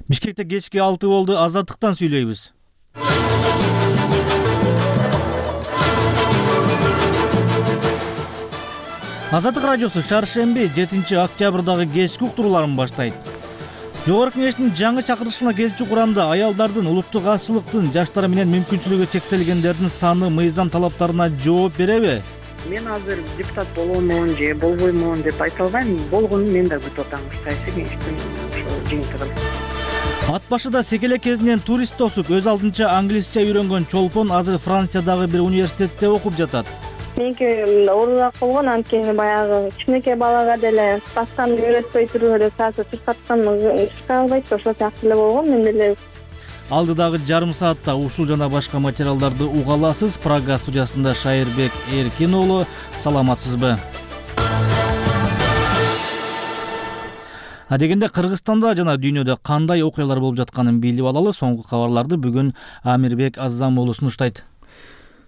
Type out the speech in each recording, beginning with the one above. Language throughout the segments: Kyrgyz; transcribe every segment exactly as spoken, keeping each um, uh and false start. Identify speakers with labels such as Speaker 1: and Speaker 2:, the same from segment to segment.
Speaker 1: Бишкекте кечки алты болду. Азаттыктан сүйлөйбүз. Азаттык радиосу шаршемби жетинчи октябрдагы кечки уктурууларын баштайт. Жогорку Кеңештин жаңы чакырылышына келчү курамда аялдардын улуттук азчылыктын, жаштар менен мүмкүнчүлүгү чектелгендердин саны мыйзам талаптарына жооп береби?
Speaker 2: Мен азыр депутат боломун же болбоймун деп айта албайм. Болгонун мен да күтүп атам. Кайсы кеңештин ошо жыйынтыгын.
Speaker 1: Ат башыда секелек кезинен турист тосуп, өз алдынча англисче үйрөнгөн чолпон азыр Франциядагы бир университетте окуп жатат.
Speaker 3: Меники оорураак болгон, анткени баягы кичинекей балага деле басканды үйрөтпөй туруп эле саатта турсаткан ишке албайт, ошол сыяктуу эле болгон. Мен деле
Speaker 1: Алдыдагы жарым саатта ушул жана башка материалдарды уга аласыз. Прага студиясында Шайырбек Эркин уулу. Саламатсызбы? Адегенде Кыргызстанда жана дүйнөдө кандай окуялар болуп жатканын билип алалы. Соңку кабарларды бүгүн Амирбек Аззам уулу сунуштайт.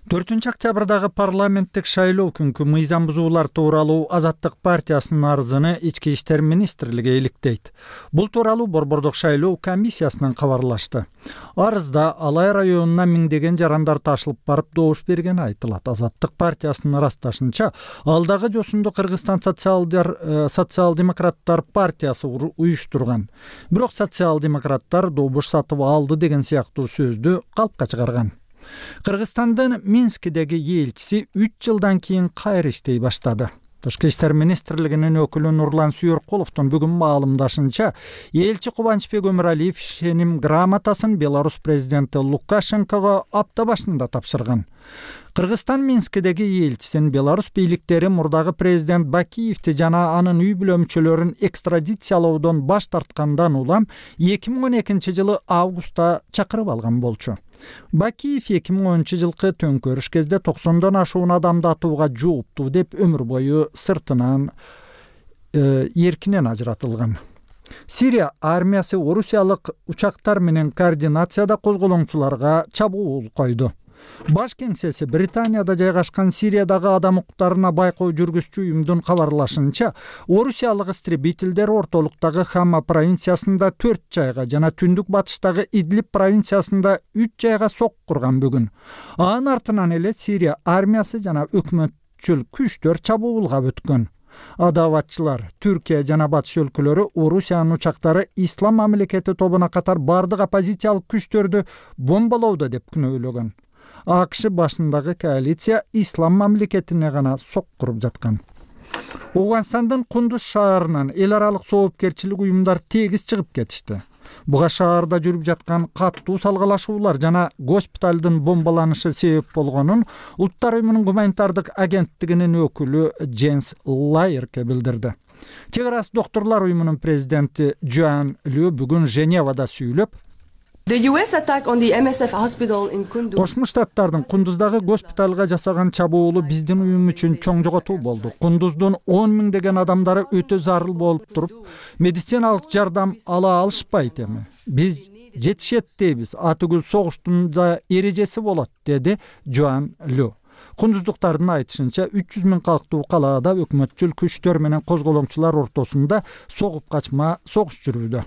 Speaker 4: төртүнчү октябрдагы парламенттик шайлоо күнкү мыйзам бузуулар тууралуу Азаттык партиясынын арызыны Ички иштер министрлиги иликтейт. Бул тууралуу Борбордук шайлоо комиссиясынан кабарлашты. Арызда Алай районуна миңдеген жарандар ташылып барып добуш бергени айтылат. Азаттык партиясынын ырасташынча, алдагы жосунду Кыргызстан социалдар социал-демократтар партиясы уюштурган. Бирок социал-демократтар добуш сатып алды деген сыяктуу сөздү калпка чыгарган. Кыргызстандын Минскидеги элчиси үч жылдан кийин кайра иштей баштады. Тышкы иштер министрлигинин өкүлү Нурлан Сүйөркуловдун бүгүн маалымдашынча, элчи Кубанычбек Өмүралиев ишеним грамотасын Беларусь президенти Лукашенкого апта башында тапшырган. Кыргызстан Минскидеги элчисин Беларусь бийликтери мурдагы президент Бакиевди жана анын үй бүлө мүчөлөрүн экстрадициялоодон баш тарткандан улам эки миң он экинчи жылы августта чакырып алган болчу. Бакиев эки миң онунчу жылкы төңкөрүш кезде токсондон ашуун адамды атууга жооптуу деп өмүр бою сыртынан э, эркинен ажыратылган. Сирия армиясы орусиялык учактар менен координацияда козголоңчуларга чабуул койду. Баш кеңсеси Британияда жайгашкан Сириядагы адам укуктарына байкоо жүргүзчү уюмдун кабарлашынча, орусиялык истребителдер ортолуктагы Хама провинциясында төрт жайга жана түндүк батыштагы Идлиб провинциясында үч жайга сок курган бүгүн. Анын артынан эле Сирия армиясы жана өкмөтчүл күчтөр чабуулга өткөн. Адаватчылар Түркия жана батыш өлкөлөрү Орусиянын учактары Ислам мамлекети тобуна катар бардык оппозициялык күчтөрдү бомбалоодо деп күнөөлөгөн. АКШ башындагы коалиция Ислам мамлекетине гана сок куруп жаткан. Ооганстандын Кундуз шаарынан эл аралык соопкерчилик уюмдар тегиз чыгып кетишти. Буга шаарда жүрүп жаткан каттуу салгалашуулар жана госпиталдын бомбаланышы себеп болгонун Улуттар уюмунун гуманитардык агенттигинин өкүлү Дженс Лайерке билдирди. Чек арасы доктурлар уюмунун президенти Джоан Лю бүгүн Женевада сүйлөп, Кошмо Штаттардын Кундуздагы госпиталга жасаган чабуулу биздин уюм үчүн чоң жоготуу болду. Кундуздун он миңдеген адамдары өтө зарыл болуп туруп, медициналык жардам ала алышпайт эми. Биз жетишет дейбиз, атүгүл согуштун да эрежеси болот, деди Джоан Лю. Кундуздуктардын айтышынча, үч жүз миң калктуу калаада өкмөтчүл күчтөр менен козголоңчулар ортосунда согуп качма согуш жүрүүдө.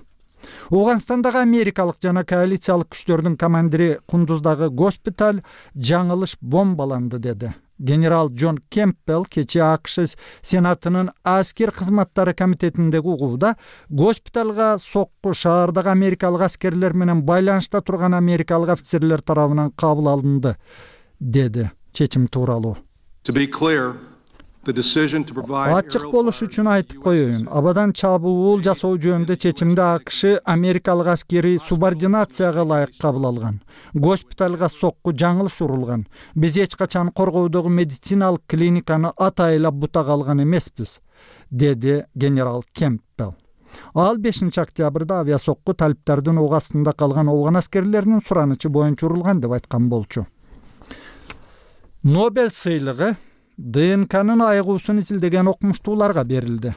Speaker 4: Ооганстандагы америкалык жана коалициялык күчтөрдүн командири Кундуздагы госпиталь жаңылыш бомбаланды деди. Генерал Джон Кемпбелл кечээ АКШ Сенатынын аскер кызматтары комитетиндеги угууда госпиталга сокку шаардагы америкалык аскерлер менен байланышта турган америкалык офицерлер тарабынан кабыл алынды, деди чечим тууралуу. Ачык болуш үчүн айтып коеюн, абадан чабуул жасоо жөнүндө чечимди АКШ америкалык аскери субординацияга ылайык кабыл алган. Госпиталга сокку жаңылыш урулган. Биз эч качан коргоодогу медициналык клиниканы атайылап бутага алган эмеспиз, деди генерал Кемпбелл. Ал бешинчи октябрда авиасокку талиптардын ок астында калган Ооган аскерлеринин суранычы боюнча урулган деп айткан болчу. Нобель сыйлыгы ДНКнын айыгуусун изилдеген окумуштууларга берилди.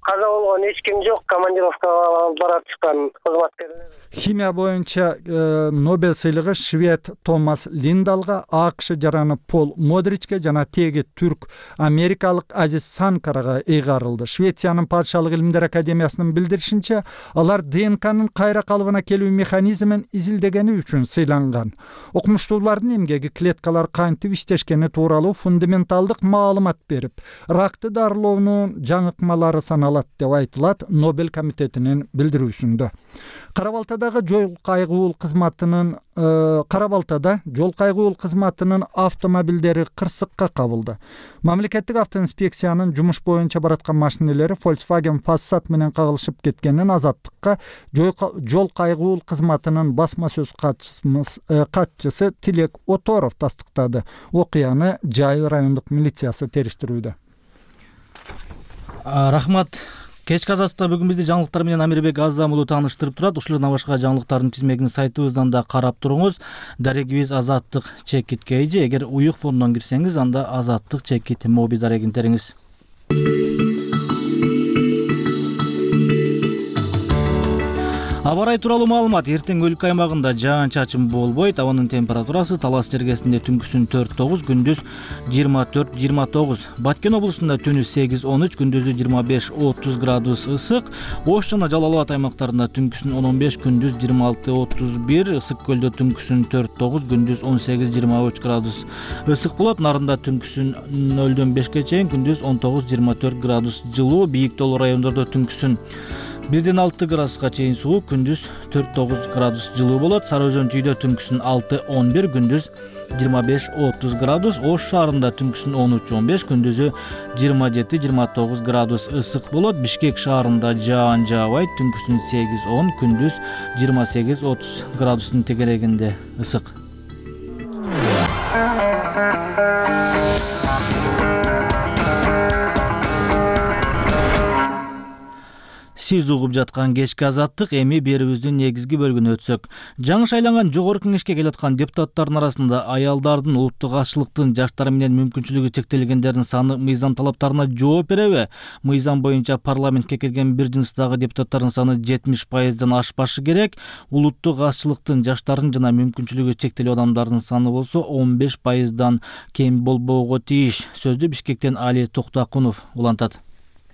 Speaker 5: каза болгон эч ким жок, командировкага барып чыккан кызматкерлер.
Speaker 4: Химия боюнча Нобель сыйлыгы швед Томас Линдалга, АКШ жараны Пол Модричке жана теги түрк америкалык Азиз Санкарага ыйгарылды. Швециянын падышалык илимдер академиясынын билдиришинче, алар ДНКнын кайра калыбына келүү механизмин изилдегени үчүн сыйланган. Окумуштуулардын эмгеги клеткалар кантип иштешкени тууралуу фундаменталдык маалымат берип, ракты дарылоонун жаңыкмалары саналат деп айтылат Нобель комитетинин билдирүүсүндө. Кара-Балтадагы жол кайгуул кызматынын Кара-Балтада жол кайгуул кызматынын автомобилдери кырсыкка кабылды. Мамлекеттик автоинспекциянын жумуш боюнча бараткан машинелери Volkswagen Passat менен кагылышып кеткенин Азаттыкка жол кайгуул кызматынын басма сөз катчысы Тилек Оторов тастыктады. Окуяны Жайыл райондук милициясы териштирүүдө.
Speaker 1: Рахмат. Кечки Азаттыкта бүгүн бизди жаңылыктар менен Амирбек Азам уулу тааныштырып турат. Ушулардан башка жаңылыктардын тизмегин сайтыбыздан да карап туруңуз. Дарегибиз Азаттык чекит кейжи. Эгер уюк фондон кирсеңиз, анда Азаттык чекит моби дарегин териңиз. Аба ырайы тууралуу маалымат. Эртең өлкө аймагында жаан-чачын болбойт. Абанын температурасы Талас жергесинде түнкүсүн төрт тогуз, күндүз жыйырма төрт жыйырма тогуз. Баткен облусунда түнү сегиз он үч, күндүзү жыйырма беш отуз градус ысык. Ош жана Жалал Абад аймактарында түнкүсүн он он беш, күндүз жыйырма алты отуз бир. Ысык көлдө түнкүсүн төрт тогуз, күндүз он сегиз жыйырма үч градус ысык болот. Нарында түнкүсүн нөлдөн бешке чейин, күндүз он тогуз жыйырма төрт градус жылуу. Бийик тоолуу райондордо түнкүсүн бирден алты градуска чейин суук, күндүз төрт тогуз градус жылуу болот. Сары Өзөн чүйдө түнкүсүн алты он бир, күндүз жыйырма беш отуз градус. Ош шаарында түнкүсүн он үч он беш, күндүзү жыйырма жети жыйырма тогуз градус ысык болот. Бишкек шаарында жаан жаабайт, түнкүсүн сегиз он, күндүз жыйырма сегиз отуз градустун тегерегинде ысык. Сиз угуп жаткан кечки Азаттык, эми берүүбүздүн негизги бөлүгүнө өтсөк. Жаңы шайланган жогорку кеңешке келаткан депутаттардын арасында аялдардын, улуттук азчылыктын, жаштар менен мүмкүнчүлүгү чектелгендердин саны мыйзам талаптарына жооп береби? Мыйзам боюнча парламентке келген бир жыныстагы депутаттардын саны жетимиш пайыздан ашпашы керек. Улуттук азчылыктын, жаштардын жана мүмкүнчүлүгү чектелүү адамдардын саны болсо он беш пайыздан кем болбоого тийиш. Сөздү Бишкектен Али Токтакунов улантат.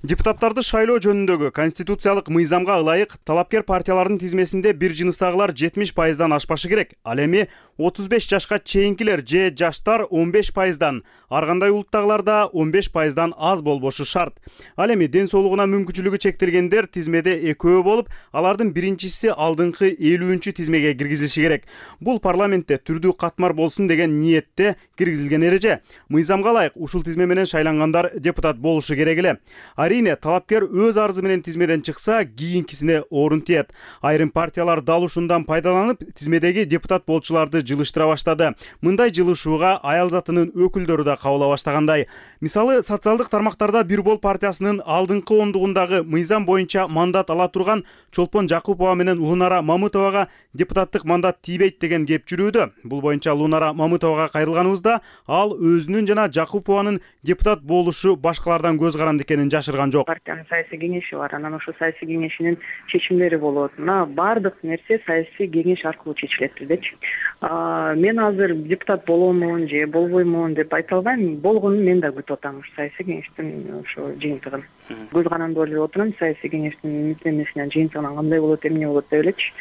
Speaker 6: Депутаттарды шайлоо жөнүндөгү конституциялык мыйзамга ылайык талапкер партиялардын тизмесинде бир жыныстагылар жетимиш пайыздан ашпашы керек. Ал эми отуз беш жашка чейинкилер же жаштар он беш пайыздан, ар кандай улуттагылар да он беш пайыздан аз болбошу шарт. Ал эми ден соолугуна мүмкүнчүлүгү чектелгендер тизмеде экөө болуп, алардын биринчиси алдыңкы элүүнчү тизмеге киргизилиши керек. Бул парламентте түрдүү катмар болсун деген ниетте киргизилген эреже. Мыйзамга ылайык ушул тизме менен шайлангандар депутат болушу керек эле. Арине талапкер өз арызы менен тизмеден чыкса, кийинкисине орун тиет. Айрым партиялар дал ушундан пайдаланып, тизмедеги депутат болчуларды жылыштыра баштады. Мындай жылышууга аял затынын өкүлдөрү да кабыла баштагандай. Мисалы, социалдык тармактарда Бир бол партиясынын алдыңкы ондугундагы мыйзам боюнча мандат ала турган Чолпон Жакупова менен Лунара Мамытовага депутаттык мандат тийбейт деген кеп жүрүүдө. Бул боюнча Лунара Мамытовага кайрылганыбызда, ал өзүнүн жана Жакупованын депутат болушу башкалардан көз каранды экенин жашырган жок.
Speaker 2: Партиянын саясий кеңеши бар, анан ошо саясий кеңешинин чечимдери болот. Мына баардык нерсе саясий кеңеш аркылуу чечилет биздечи. Мен азыр депутат боломун же болбоймун деп айта албайм. Болгонун мен да күтүп атам ушу саясий кеңештин ошо жыйынтыгын. Көз каранды ойлоп отурам, саясий кеңештин мисленесинен жыйынтыгынан кандай болот, эмне болот деп элечи.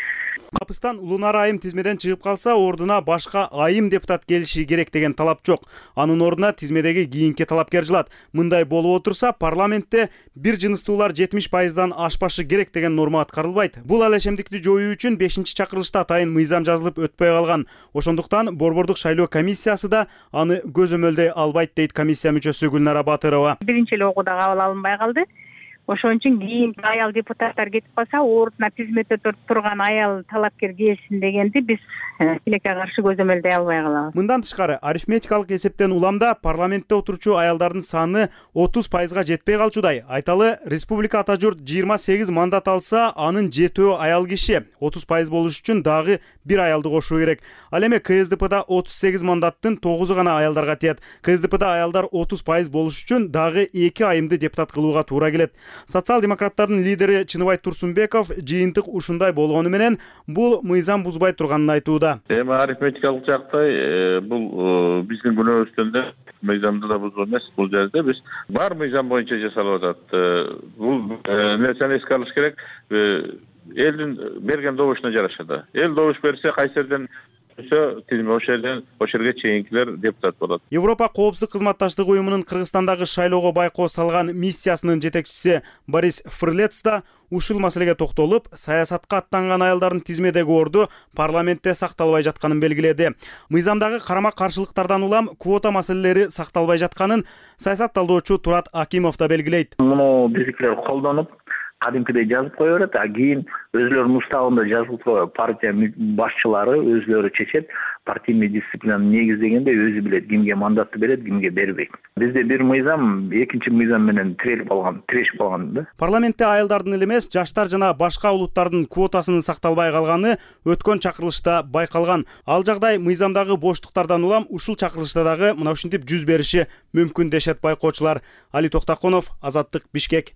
Speaker 6: Капыстан Лунара айым тизмеден чыгып калса, ордуна башка айым депутат келиши керек деген талап жок. Анын ордуна тизмедеги кийинки талапкер жылат. Мындай болуп отурса, парламентте бир жыныстуулар жетимиш пайыздан ашпашы керек деген норма аткарылбайт. Бул алешемдикти жоюу үчүн бешинчи чакырылышта атайын мыйзам жазылып өтпөй калган. Ошондуктан Борбордук шайлоо комиссиясы да аны көзөмөлдөй албайт дейт комиссия мүчөсү Гүлнара Батырова.
Speaker 7: Биринчи эле окууда кабыл алынбай калды. Ошон үчүн кийинки аял депутаттар кетип калса, ордуна тизмеде турган аял талапкер келсин дегенди биз тилекке каршы көзөмөлдөй албай калабыз.
Speaker 6: Мындан тышкары, арифметикалык эсептен уламда парламентте отурчу аялдардын саны отуз пайызга жетпей калчудай. Айталы, республика ата журт жыйырма сегиз мандат алса, анын жетөө аял киши. отуз пайыз болуш үчүн дагы бир аялды кошуу керек. Ал эми КСДПда отуз сегиз мандаттын тогузу гана аялдарга тиет. КСДПда аялдар отуз пайыз болуш үчүн дагы эки айымды депутат кылууга туура келет. Социал-демократтардын лидери Чыныбай Турсунбеков жыйынтык ушундай болгону менен бул мыйзам бузбай турганын айтууда.
Speaker 8: Эми арифметикалык жактай бул биздин күнөөбүздөн да мыйзамды да бузуу эмес. Бул жерде биз бар мыйзам боюнча жасалып атат. Бул нерсени эске алыш керек. Элдин берген добушуна жараша да. Эл добуш берсе, кайсы жерден тизме ошол жерден ошол жерге чейинкилер депутат болот.
Speaker 6: Европа коопсуздук кызматташтык уюмунун Кыргызстандагы шайлоого байкоо салган миссиясынын жетекчиси Борис Фрлец да ушул маселеге токтолуп, саясатка аттанган аялдардын тизмедеги орду парламентте сакталбай жатканын белгиледи. Мыйзамдагы карама-каршылыктардан улам квота маселелери сакталбай жатканын саясат талдоочу Турат Акимов да белгилейт.
Speaker 9: Муну биздикилер колдонуп, кадимкидей жазып кое берет, а кийин өзлөрүнүн уставында жазылып койгон партия башчылары өзлөрү чечет. Партийный дисциплинаны негиздегенде өзү билет кимге мандатты берет, кимге бербейт. Бизде бир мыйзам экинчи мыйзам менен тирелип калган, тирешип калган да.
Speaker 6: Парламентте айылдардын эле эмес, жаштар жана башка улуттардын квотасынын сакталбай калганы өткөн чакырылышта байкалган. Ал жагдай мыйзамдагы боштуктардан улам ушул чакырылышта дагы мына ушинтип жүз бериши мүмкүн дешет байкоочулар. Али Токтакунов, Азаттык, Бишкек.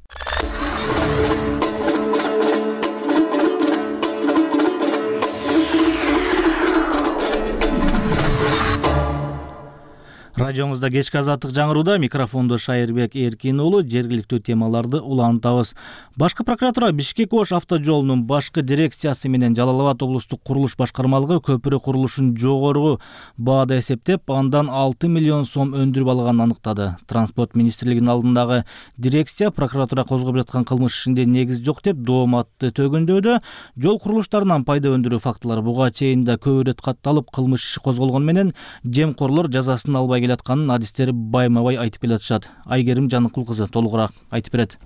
Speaker 1: Радиоңузда кечки азаттык жаңырууда микрофондо Шайырбек Эркин уулу. Жергиликтүү темаларды улантабыз. Башкы прокуратура Бишкек Ош автожолунун башкы дирекциясы менен Жалал Абад облустук курулуш башкармалыгы көпүрө курулушун жогору баада эсептеп, андан алты миллион сом өндүрүп алганын аныктады. Транспорт министрлигинин алдындагы дирекция прокуратура козгоп жаткан кылмыш ишинде негиз жок деп дооматты төгүндөдө. Жол курулуштарынан пайда өндүрүү фактылары буга чейин да көп ирет катталып, кылмыш иши козголгону менен жемкорлор жазасын албай келатканын адистери байма-бай айтып келатышат. Айгерим Жаныкул кызы толугураак айтып берет.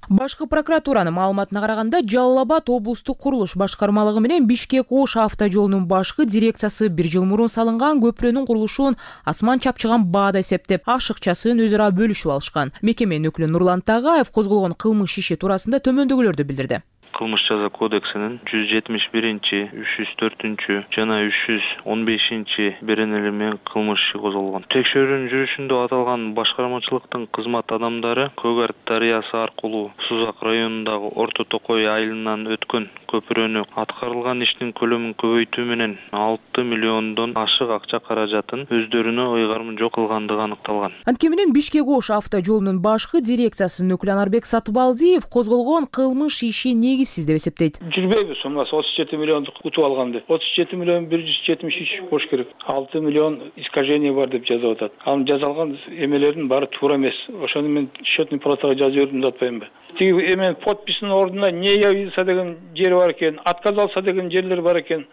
Speaker 10: Башкы прокуратуранын маалыматына караганда, Жалал Абад облустук курулуш башкармалыгы менен Бишкек Ош автожолунун башкы дирекциясы бир жыл мурун салынган көпүрөнүн курулушун асман чапчыган баада эсептеп, ашыкчасын өзү ара бөлүшүп алышкан. Мекеменин өкүлү Нурлан Тагаев козголгон кылмыш иши туурасында төмөндөгүлөрдү билдирди.
Speaker 11: Кылмыш жаза кодексинин жүз жетимиш биринчи, үч жүз төртүнчү жана үч жүз он бешинчи беренелери менен кылмыш иши козголгон. Текшерүүнүн жүрүшүндө аталган башкармачылыктын кызмат адамдары Көк Арт дарыясы аркылуу Сузак районундагы Орто Токой айылынан өткөн көпүрөнү аткарылган иштин көлөмүн көбөйтүү менен алты миллиондон ашык акча каражатын өздөрүнө ыйгарым жок кылгандыгы аныкталган.
Speaker 10: Анткени менен Бишкек Ош автожолунун башкы дирекциясынын өкүлү Анарбек Сатыбалдиев козголгон кылмыш иши негизсиз деп эсептейт.
Speaker 12: Жүрбөйбү суммасы отуз жети миллионду утуп алганды. отуз жети миллион бир жүз жетимиш үч болуш керек. алты миллион искажение бар деп жазып атат. Анын жазалган эмелердин баары туура эмес. Ошону мен счетный палатага жазып бердим деп атпаймынбы? Тиги эмен подписинин ордуна не явился деген жери бар экен, отказался деген жерлер бар экен.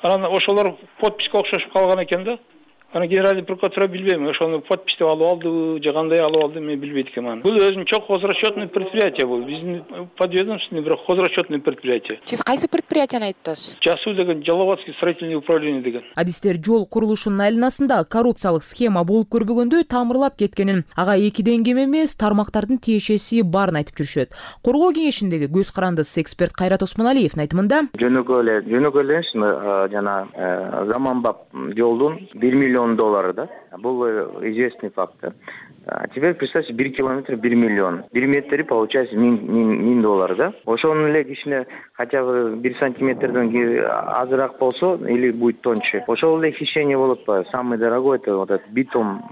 Speaker 12: Анан ошолор подписке окшошуп калган экен да. Аны генеральный прокуратура билбейм, ошону подписти алып алды, же кандай алып алды, мен билбейт экенмин. Бул өзүнүн чок хозрасчетный предприятие бул. Биздин подведомственный бирок хозрасчетный предприятие.
Speaker 13: Сиз кайсы предприятияны айттыңыз?
Speaker 12: Жасу деген Жалалабадский строительный управление деген.
Speaker 10: Адистер жол курулушунун айланасында коррупциялык схема болуп көрбөгөндө тамырлап кеткенин, ага экиден кем эмес тармактардын тиешеси барын айтып жүрүшөт. Коргоо кеңешиндеги көз карандысыз эксперт Кайрат Осмоналиевдин айтымында,
Speaker 9: жөнөкөй эле, жөнөкөй эле жана заманбап жолдун бир миллион доллары да. Был известный факт. А теперь представьте, бир километр бир миллион. бир метри получается миң доллар, да? Ошонун эле кичине хотя бы бир сантиметрден азыраак болсо или будет тоньше. Ошол эле хищение болуп атпайбы? Самый дорогой это вот этот битум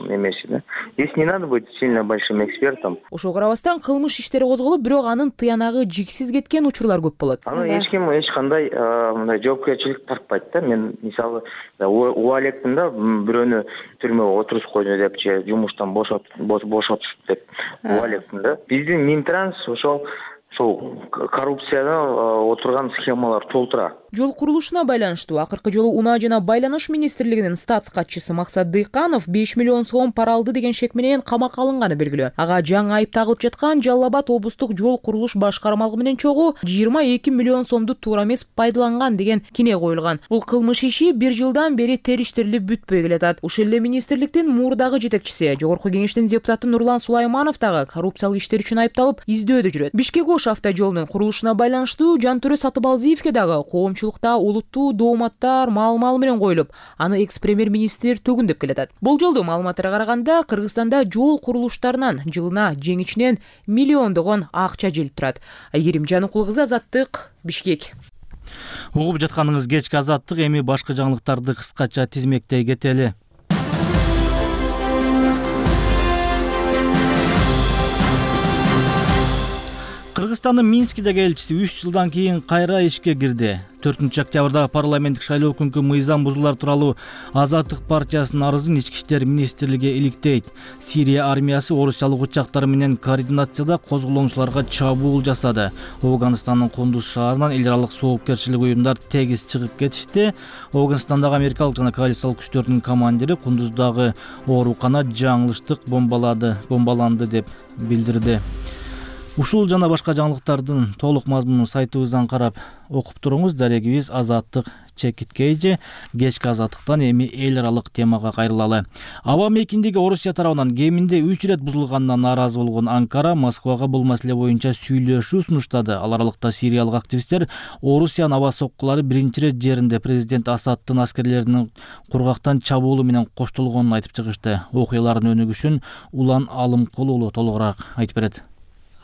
Speaker 9: эмеси, да. Здесь не надо быть сильно большим экспертом.
Speaker 10: Ошого карабастан кылмыш иштери козголуп, бирок анын тыянагы жиксиз кеткен учурлар көп болот.
Speaker 9: Аны эч ким эч кандай мындай жоопкерчилик тартпайт да. Мен мисалы убалектим да, бирөөнү түрмөгө отургузуп койду деп же жумуштан бошотушту деп убалектим да. Биздин Минтранс ошол ошол коррупцияда отурган схемалар толтура.
Speaker 10: Жол курулушуна байланыштуу акыркы жолу Унаа жана байланыш министрлигинин статс катчысы Максат Дыйканов беш миллион сом пара алды деген шек менен камакка алынганы белгилүү. Ага жаңы айып тагылып жаткан Жалал Абад облустук жол курулуш башкармалыгы менен чогуу жыйырма эки миллион сомду туура эмес пайдаланган деген кине коюлган. Бул кылмыш иши бир жылдан бери териштирилип бүтпөй келатат. Ушул эле министрликтин мурдагы жетекчиси, жогорку кеңештин депутаты Нурлан Сулайманов дагы коррупциялык иштер үчүн айыпталып издөөдө жүрөт. Бишкек Ош ош автожолунун курулушуна байланыштуу Жантөрө Сатыбалдиевге дагы коомчулукта олуттуу дооматтар маал-маал менен коюлуп, аны экс-премьер-министр төгүндөп келатат. Бул жолду маалыматтарга караганда Кыргызстанда жол курулуштарынан жылына жең ичинен миллиондогон акча желип турат. Айгерим Жаныкул кызы, Азаттык, Бишкек.
Speaker 1: Угуп жатканыңыз кечки Азаттык, эми башка жаңылыктарды кыскача тизмектей кетели. Кыргызстандын Минскидеги элчиси үч жылдан кийин кайра ишке кирди. төртүнчү октябрда парламенттик шайлоо күнкү мыйзам бузуулар тууралуу Азаттык партиясынын арызын Ички иштер министрлиги иликтейт. Сирия армиясы орусиялык учактар менен координацияда козголоончуларга чабуул жасады. Афганистандын Кундуз шаарынан эл аралык соопкерчилик уюмдар тегиз чыгып кетишти. Афганистандагы америкалык жана коалициялык күчтөрдүн командири Кундуздагы оорукана жаңылыштык бомбалады, бомбаланды деп билдирди. Ушул жана башка жаңылыктардын толук мазмунун сайтыбыздан карап окуп туруңуз. Дарегибиз Азаттык чекиткейже. Кечки Азаттыктан эми эл аралык темага кайрылалы. Аба мейкиндиги Орусия тарабынан кеминде үч ирет бузулганына нааразы болгон Анкара Москвага бул маселе боюнча сүйлөшүү сунуштады. Ал аралыкта сириялык активисттер Орусиянын аба соккулары биринчи ирет жеринде президент Асаддын аскерлеринин кургактан чабуулу менен коштолгонун айтып чыгышты. Окуялардын өнүгүшүн Улан Алымкул уулу толугураак айтып берет.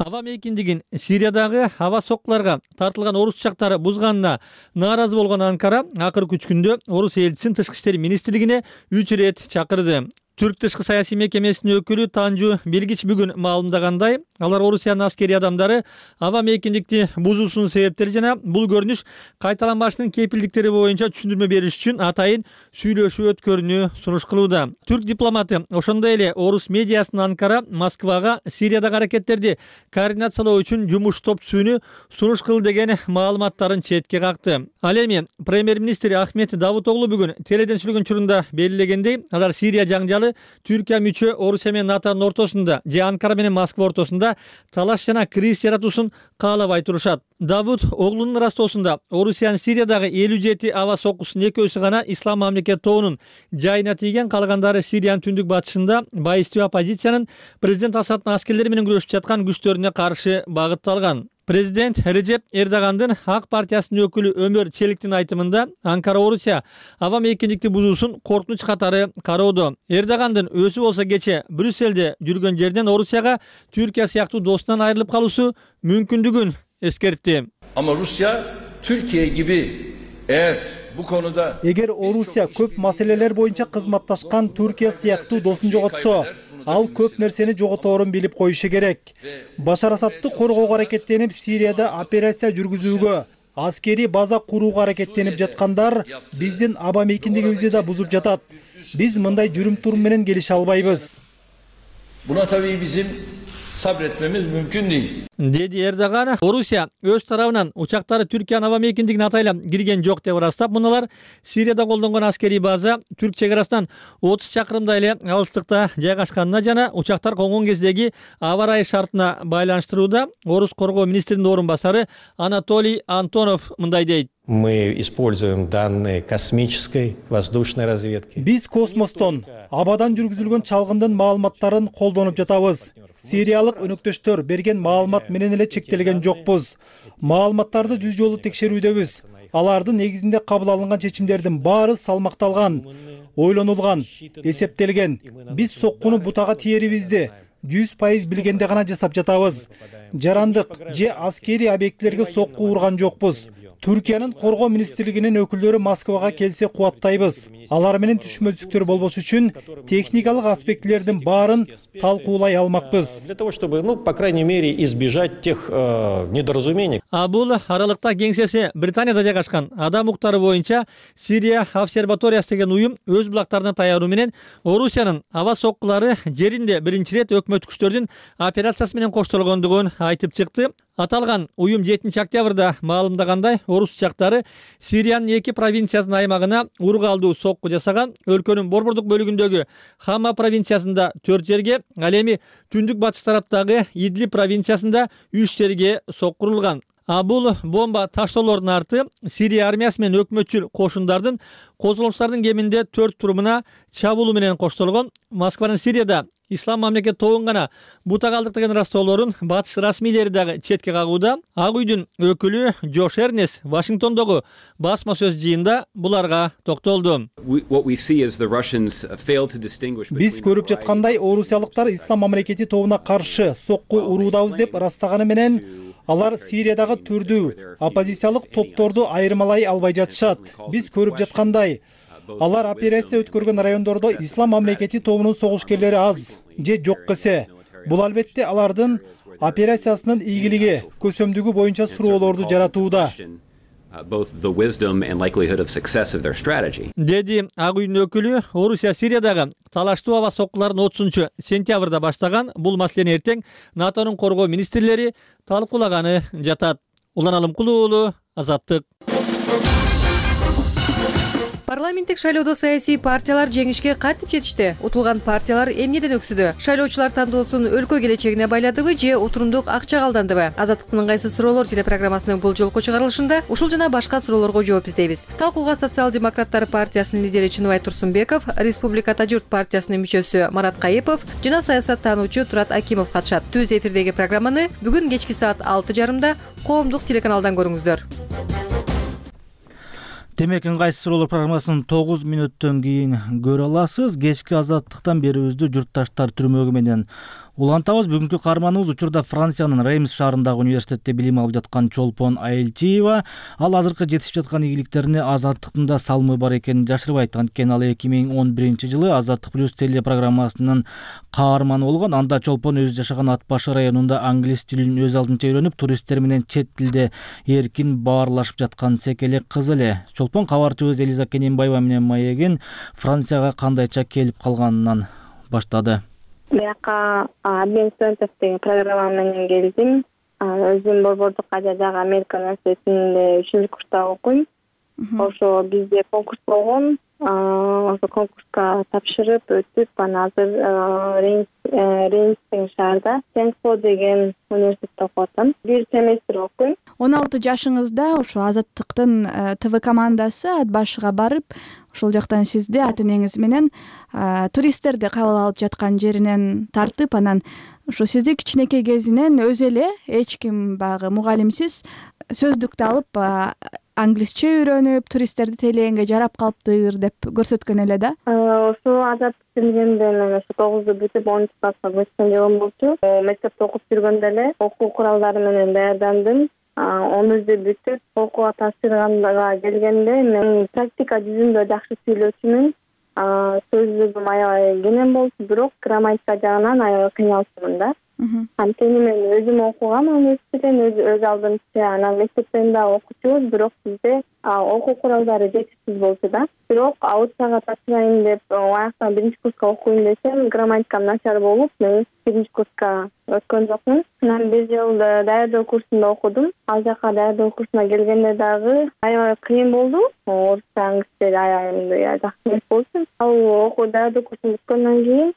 Speaker 14: Аба мейкиндигин Сириядагы аба соккуларга тартылган орус учактары бузганына нааразы болгон Анкара акыркы үч күндө Орусия элчисин тышкы иштер министрлигине үч ирет чакырды. Түрк тышкы саясий мекемесинин өкүлү Танжу Белгич бүгүн маалымдагандай, алар Орусиянын аскери адамдары аба мейкиндикти бузуусунун себептери жана бул көрүнүш кайталанбашынын кепилдиктери боюнча түшүндүрмө бериш үчүн атайын сүйлөшүү өткөрүүнү сунуш кылууда. Түрк дипломаты ошондой эле орус медиасынын Анкара Москвага Сириядагы аракеттерди координациялоо үчүн жумуш топ түзүүнү сунуш кылды деген маалыматтарын четке какты. Ал эми премьер-министр Ахмет Давутоглу бүгүн теледен сүйлөгөн учурунда белгилегендей, алар Сирия жаңжалы Түркия мүчө Орусия менен НАТОнун ортосунда же Анкара менен Москва ортосунда талаш жана кризис жаратуусун каалабай турушат. Давут оглунун ырастоосунда Орусиянын Сириядагы элүү жети аба соккусунун экөөсү гана Ислам мамлекет тобунун жайына тийген, калгандары Сириянын түндүк батышында байыстуу оппозициянын президент Асаддын аскерлери менен күрөшүп жаткан күчтөрүнө каршы багытталган. Президент Режеп Эрдогандын Ак партиясынын өкүлү Өмөр Челиктин айтымында Анкара Орусия аба мейкиндикти бузуусун коркунуч катары кароодо. Эрдогандын өзү болсо кече Брюссельде жүргөн жерден Орусияга Түркия сыяктуу достунан айрылып калуусу мүмкүндүгүн эскертти.
Speaker 15: Ama Rusya Türkiye gibi eğer bu konuda
Speaker 16: Эгер Орусия көп маселелер боюнча кызматташкан Түркия сыяктуу досун жоготсо, ал көп нерсени жоготорун билип коюшу керек. Башар Асадты коргоого аракеттенип, Сирияда операция жүргүзүүгө, аскери база курууга аракеттенип жаткандар биздин аба мейкиндигибизди да бузуп жатат. Биз мындай жүрүм-турум менен келише албайбыз.
Speaker 15: Buna tabii bizim sabretmemiz mümkün değil.
Speaker 14: Деди Эрдоган. Орусия өз тарабынан учактары Түркиянын аба мейкиндигине атайлап кирген жок деп ырастап, муналар Сирияда колдонгон аскерий база Түрк чек арасынан отуз чакырымдай эле алыстыкта жайгашканына жана учактар конгон кездеги аба ырайы шартына байланыштырууда. Орус коргоо министринин орун басары Анатолий Антонов мындай дейт.
Speaker 17: Мы используем данные космической воздушной разведки.
Speaker 16: Биз космостон, абадан жүргүзүлгөн чалгындын маалыматтарын колдонуп жатабыз. Сириялык өнөктөштөр берген маалымат менен эле чектелген жокпуз. Маалыматтарды жүз жолу текшерүүдөбүз. Алардын негизинде кабыл алынган чечимдердин баары салмакталган, ойлонулган, эсептелген. Биз соккуну бутага тиерибизди жүз пайыз билгенде гана жасап жатабыз. Жарандык же аскери объектилерге сокку урган жокпуз. Түркиянын коргоо министрлигинин өкүлдөрү Москвага келсе кубаттайбыз. Алар менен түшүнбөзлүктөр болбош үчүн техникалык аспектилердин баарын талкуулай алмакпыз.
Speaker 17: Для того, чтобы, ну, по крайней мере, избежать тех недоразумений.
Speaker 14: А бул аралыкта кеңсеси Британияда жайгашкан адам укуктары боюнча Сирия обсерваториясы деген уюм өз булактарына таяруу менен Орусиянын аба соккулары жеринде биринчи ирет өкмөт күчтөрдүн операциясы менен коштолгондугун айтып чыкты. Аталган уюм жетинчи октябрда маалымдагандай, орус учактары Сириянын эки провинциясынын аймагына ургалдуу сокку жасаган. Өлкөнүн борбордук бөлүгүндөгү Хама провинциясында төрт жерге, ал эми түндүк батыш тараптагы Идлиб провинциясында үч жерге соккурулган. А бул бомба таштоолордун арты Сирия армиясы менен өкмөтчүл кошундардын козголоңчулардын кеминде төрт турумуна чабуулу менен коштолгон. Москванын Сирияда Ислам мамлекет тобун гана бута калдыртыгын растоолорун батыш расмийлери дагы четке кагууда. Ак үйдүн өкүлү Джош Эрнес Вашингтондогу басма сөз жыйында буларга токтолду.
Speaker 16: Биз көрүп жаткандай орусиялыктар Ислам мамлекети тобуна каршы сокку уруудабыз деп ырастаганы менен алар Сириядагы түрдүү оппозициялык топторду айырмалай албай жатышат. Биз көрүп жаткандай алар операция өткөргөн райондордо Ислам мамлекети тобунун согушкерлери аз же жок эсе. Бул албетте алардын операциясынын ийгилиги, көсөмдүгү боюнча суроолорду жаратууда.
Speaker 14: Деди Ак үйдүн өкүлү. Орусия Сириядагы талаштуу аба соккуларын отузунчу сентябрда баштаган бул маселени эртең НАТОнун коргоо министрлери талкуулаганы жатат. Улан Алымкулуу уулу, Азаттык.
Speaker 18: Парламенттик шайлоодо саясий партиялар жеңишке кантип жетишти? Утулган партиялар эмнеден өксүдү? Шайлоочулар тандоосун өлкө келечегине байладыбы же отурумдук акчага алдандыбы? Азаттыктын ыңгайсыз суроолор телепрограммасынын бул жолку чыгарылышында ушул жана башка суроолорго жооп издейбиз. Талкууга социал-демократтар партиясынын лидери Чыныбай Турсунбеков, Республиката журт партиясынын мүчөсү Марат Кайыпов жана саясаттануучу Турат Акимов катышат. Түз эфирдеги программаны бүгүн кечки саат алты жарымда коомдук телеканалдан көрүңүздөр.
Speaker 1: Демек, ыңгайсыз суроолор программасын тогуз мүнөттөн кийин көрө аласыз. Кечки Азаттыктан берүүбүздү журтташтар түрмөгү менен улантабыз. Бүгүнкү каарманыбыз учурда Франциянын Реймс шаарындагы университетте билим алып жаткан Чолпон Айылчиева. Ал азыркы жетишип жаткан ийгиликтерине Азаттыктын да салымы бар экенин жашырбайт. Анткени ал эки миң он биринчи жылы Азаттык плюс телепрограммасынын каарманы болгон. Анда Чолпон өзү жашаган Ат башы районунда англис тилин өз алдынча үйрөнүп, туристтер менен чет тилде эркин баарлашып жаткан секелек кыз эле. Чолпон кабарчыбыз Элиза Кененбаева менен маегин Францияга кандайча келип калганынан баштады.
Speaker 3: Бияка обмен студентов деген программа менен келдим. Өзүм Борбордук Азиядагы Америка университетинде үчүнчү курста окуйм. Ошо бизде конкурс болгон. Ошо конкурска тапшырып өтүп, анан азыр Реймстин шаарда Сен-Кло деген университетте окуп атам. Бир семестр окуйм.
Speaker 19: он алты жашыңызда ошо Азаттыктын ТВ командасы Ат башыга барып, ошол жактан сизди ата энеңиз менен туристтерди кабыл алып жаткан жеринен тартып, анан ошо сизди кичинекей кезинен өзү эле эч ким баягы мугалимсиз сөздүктү алып англисче үйрөнүп, туристтерди тейлегенге жарап калыптыр деп көрсөткөн эле да.
Speaker 3: Ошо Азат келгенде мен ошо тогузду бүтүп онунчу класска көчкөн жылым болчу. Мектепте окуп жүргөндө эле окуу куралдары менен даярдандым. Онузду бүтүп окууга тапшырганга келгенде мен практика жүзүндө жакшы сүйлөөчүмүн. Сөздүгүм аябай кенен болчу, бирок грамматика жагынан аябай кыйналчумун да. Анткени мен өзүм окугам университеттен, өз алдымча, анан мектептен да окучубуз, бирок бизде окуу куралдары жетишсиз болчу да. Бирок аутсага тапшырайын деп аяктан биринчи курска окуйм десем, грамматикам начар болуп, мен биринчи курска өткөн жокмун. Анан бир жыл даярдоо курсунда окудум. Ал жака даярдоо курсуна келгенде дагы аябай кыйын болду. Орусча, англисче аябай жакшы эмес болчу. Ал окуу даярдоо курсун бүткөндөн кийин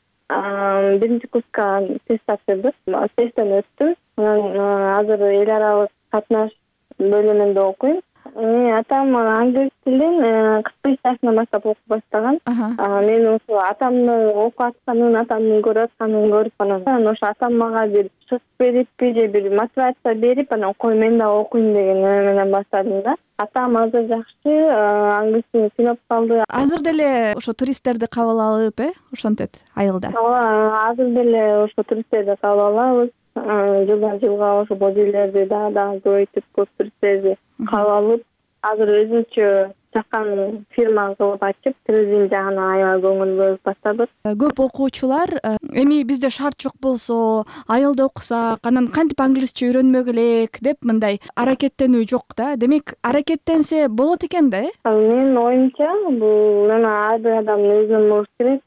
Speaker 3: биринчи курска тест тапшырдык. Тесттен өттүм. Анан азыр эл аралык катнаш бөлүмүндө окуйм. Атам англис тилин кырк беш жашынан баштап окуп баштаган. Мен ошо атамдын окуп атканын, атамдын көрүп атканын көрүп, анан ошо атам мага бир шык бериппи же бир мотивация берип, анан кой мен да окуйм деген эме менен баштадым да. Атам азыр жакшы, англис тилин сыйнап калды.
Speaker 19: Азыр деле ошо туристтерди кабыл алып, э, ошентет айылда.
Speaker 3: Ооба, азыр деле ошо туристтерди кабыл алабыз. Жылдан жылга ошо бул жерлерди дагы дагы көбөйтүп, көп туристтерди кабыл алып, азыр өзүнчө чакан фирма кылып ачып, туризм жагына аябай көңүл бөлүп баштадык.
Speaker 19: Көп окуучулар эми бизде шарт жок болсо, айылда окусак, анан кантип англисче үйрөнмөк элек деп мындай аракеттенүү жок да. Демек, аракеттенсе болот экен да, э?
Speaker 3: Менин оюмча, бул эми ар бир адамдын өзүнүн болуш керек.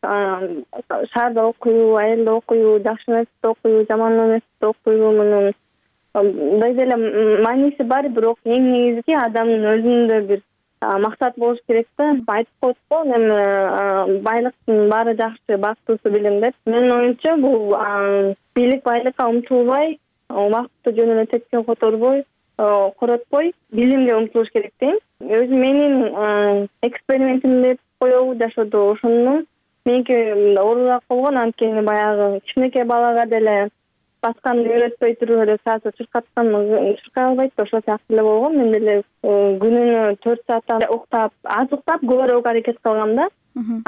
Speaker 3: Шаарда окуйбу, айылда окуйбу, жакшы университетте окуйбу, жаман университетте окуйбу, мунун мындай деле мааниси бар, бирок эң негизги адамдын өзүндө бир максат болуш керек да. Айтып коет го, эми байлыктын баары жакшы, бактысы билим деп. Менин оюмча, бул бийлик байлыкка умтулбай, убакытты жөн эле тепкен которбой, коротпой, билимге умтулуш керек дейм. Өзү менин экспериментим деп коебу жашоодо ошону меники мындай оорураак болгон, анткени баягы кичинекей балага деле басканды үйрөтпөй туруп эле саатта чуркаткан чуркай албайт да, ошол сыяктуу эле болгон. Мен деле күнүнө төрт сааттан уктап, аз уктап көбүрөөк аракет кылгам да.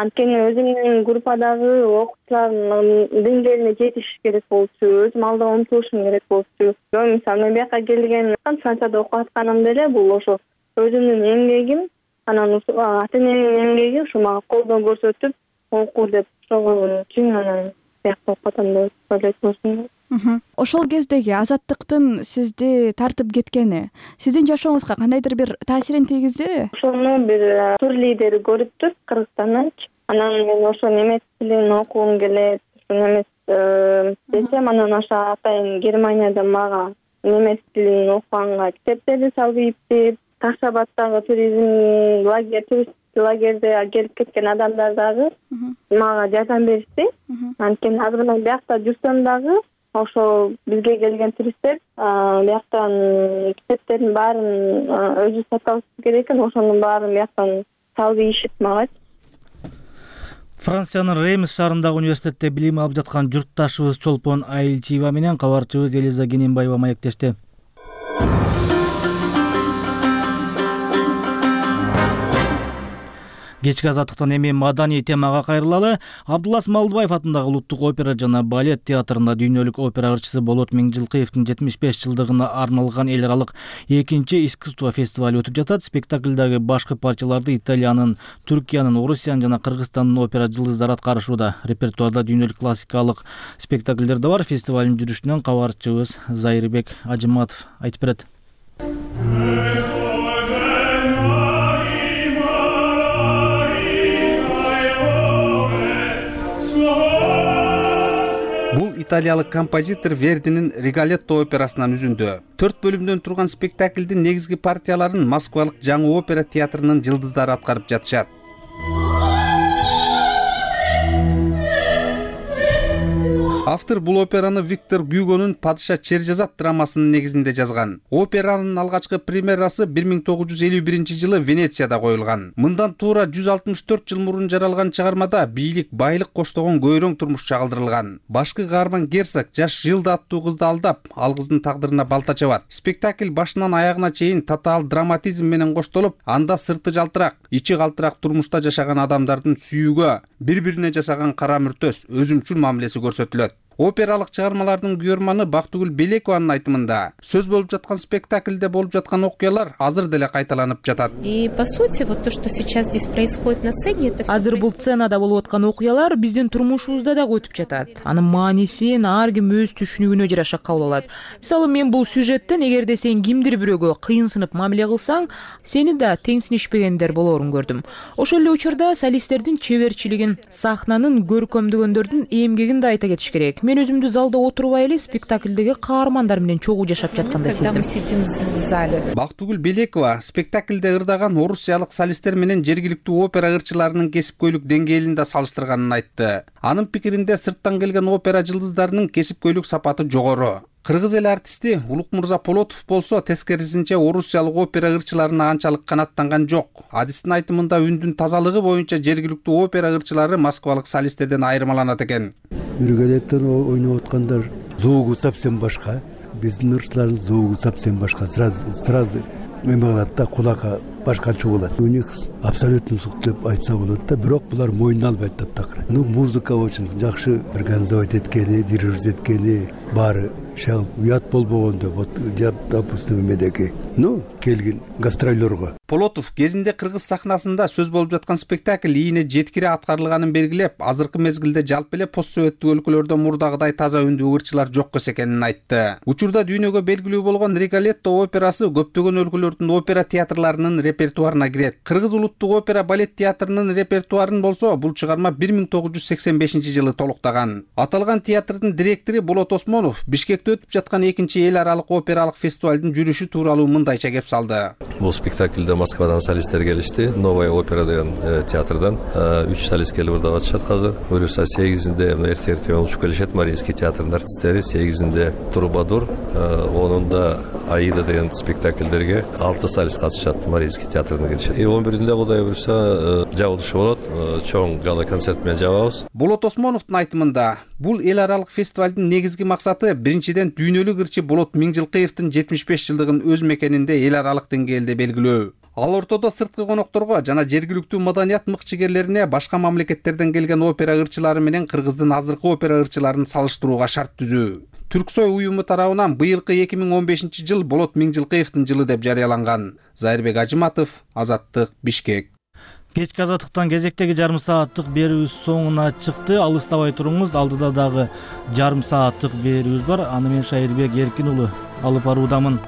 Speaker 3: Анткени өзүмдүн группадагы окуучулардын деңгээлине жетиш керек болчу, өзүм алдыга умтулушум керек болчу. Мисалы мен бияка келген Францияда окуп атканым деле бул ошо өзүмдүн эмгегим, анан ата энемдин эмгеги ушу мага колдоо көрсөтүп окуу деп ошого үчүн анан биякта окуп атам деп ойлойт.
Speaker 19: Ошол кездеги азаттыктын сизди тартып кеткени сиздин жашооңузга кандайдыр бир таасирин тийгиздиби?
Speaker 3: Ошону бир тур лидери көрүптүр Кыргызстандан. Анан мен ошо немец тилин окугум келет, немец десем, анан ошо атайын Германияда мага немец тилин окуганга китептерди салып ийиптир. Ташабаттагы туризм лагерь, турист лагерде келип кеткен адамдар дагы мага жардам беришти. Анткени азыр мен биякта жүрсөм дагы ошо бизге келген туристтер бияктан китептердин баарын өзү сатып алышы керек экен, ошонун баарын бияктан салып ийишет мага.
Speaker 1: Франциянын Реймс шаарындагы университетте билим алып жаткан журтташыбыз Чолпон Айылчиева менен кабарчыбыз Элиза Кененбаева маектешти. Кечки азаттыктан эми маданий темага кайрылалы. Абдуллас Малдыбаев атындагы Улуттук опера жана балет театрында дүйнөлүк опера ырчысы Болот Миңжилкыевдин жетимиш беш жылдыгына арналган эл аралык экинчи искусство фестивалю өтүп жатат. Спектаклдагы башкы партияларды Италиянын, Түркиянын, Орусиянын жана Кыргызстандын опера жылдыздары аткарышууда. Репертуарда дүйнөлүк классикалык спектакльдер да бар. Фестивалдын жүрүшүнөн кабарчыбыз Зайырбек Ажыматов айтып берет.
Speaker 20: Бул италиялык композитор Вердинин Риголетто операсынан үзүндү. Төрт бөлүмдөн турган спектаклдин негизги партияларын Москвалык Жаңы опера театрынын жылдыздары аткарып жатышат. Автор бул операны Виктор Гюгонун Падыша Чержазат драмасынын негизинде жазган. Операнын алгачкы премьерасы бир миң тогуз жүз элүү биринчи жылы Венецияда коюлган. Мындан туура жүз алтымыш төрт жыл мурун жаралган чыгармада бийлик, байлык коштогон көйрөң турмуш чагылдырылган. Башкы каарман герцог жаш Жылда аттуу кызды алдап, ал кыздын тагдырына балта чабат. Спектакль башынан аягына чейин татаал драматизм менен коштолуп, анда сырты жалтырак, ичи калтырак турмушта жашаган адамдардын сүйүүгө, бири-бирине жасаган кара мүртөс, өзүмчүл мамилеси көрсөтүлөт. Опералык чыгармалардын күйөрманы Бактыгүл Белекованын айтымында, сөз болуп жаткан спектакльде болуп жаткан окуялар азыр деле кайталанып жатат.
Speaker 13: И по сути, вот то, что сейчас здесь происходит на сцене, это
Speaker 10: азыр бул сценада болуп аткан окуялар биздин турмушубузда да өтүп жатат. Анын маанисин ар ким өз түшүнүгүнө жараша кабыл алат. Мисалы, мен бул сюжеттен эгерде сен кимдир бирөөгө кыйынсынып мамиле кылсаң, сени да теңсинишпегендер болоорун көрдүм. Ошол эле учурда солисттердин чеберчилигин, сахнанын көркөмдөгөндөрдүн эмгегин да айта кетиш керек. Мен өзүмдү залда отурбай эле спектаклдеги каармандар менен чогуу жашап жаткандай сездим.
Speaker 20: Бактыгүл Белекова спектаклде ырдаган орусиялык солисттер менен жергиликтүү опера ырчыларынын кесипкөйлүк деңгээлин да салыштырганын айтты. Анын пикиринде сырттан келген опера жылдыздарынын кесипкөйлүк сапаты жогору. Кыргыз эл артисти Улукмурза Полотов болсо тескерисинче орусиялык опера ырчыларына анчалык канаттанган жок. Адистин айтымында үндүн тазалыгы боюнча жергиликтүү опера ырчылары москвалык солисттерден айырмаланат экен.
Speaker 21: Риголеттон ойноп аткандар звугу совсем башка, биздин ырчылардын звугу совсем башка. Сразу сразу эме кылат да, кулакка башкача болот. У них абсолютно сук деп айтса болот да, бирок булар мойнуна албайт таптакыр. Ну, музыка үчүн жакшы организовать эткени, дирижировать эткени баары шал уят болбогондо, вот допустим эмедеги, ну, келген гастролерго.
Speaker 20: Полотов кезинде кыргыз сахнасында сөз болуп жаткан спектакль ийине жеткире аткарылганын белгилеп, азыркы мезгилде жалпы эле пост советтик өлкөлөрдө мурдагыдай таза үндүү ырчылар жок экенин айтты. Учурда дүйнөгө белгилүү болгон Риголетто операсы көптөгөн өлкөлөрдүн опера театрларынын репертуарына кирет. Кыргыз улуттук опера балет театрынын репертуарын болсо, бул чыгарма бир миң тогуз жүз сексен бешинчи жылы толуктаган. Аталган театрдын директору Болот Осмонов Бишкекте өтүп жаткан экинчи эл аралык опералык фестивалдын жүрүшү тууралуу мындайча кеп салды.
Speaker 22: Бул спектакльде Москвадан солисттер келишти. Новая опера деген театрдан үч солист келип ырдап атышат азыр. Буюрса сегизинде эрте-эрте учуп келишет Мариинский театрынын артисттери, сегизинде Трубадур, онунда Аида деген спектакльдерге алты солист катышат, Марийский театрына келишет. он биринде Кудай буюрса жабылышы болот, чоң гала концерт менен жабабыз.
Speaker 20: Болот Осмоновдун айтымында, бул эл аралык фестивалдын негизги максаты биринчиден дүйнөлүк ырчы Болот Миңжилкыевдин жетимиш беш жылдыгын өз мекенинде эл аралык деңгээлде белгилөө. Ал ортодо сырткы конокторго жана жергиликтүү маданият мыкчыгерлерине башка мамлекеттерден келген опера ырчылары менен Кыргыздын азыркы опера ырчыларын салыштырууга шарт түзүү. Түрксой уюму тарабынан быйылкы эки миң он бешинчи жыл Болот Миңжилкыевдин жылы деп жарыяланган. Зайырбек Ажыматов, Азаттык, Бишкек.
Speaker 1: Кечки азаттыктан кезектеги жарым сааттык берүүбүз соңуна чыкты. Алыстабай туруңуз, алдыда дагы жарым сааттык берүүбүз бар. Аны мен Шайырбек Эркин уулу алып баруудамын.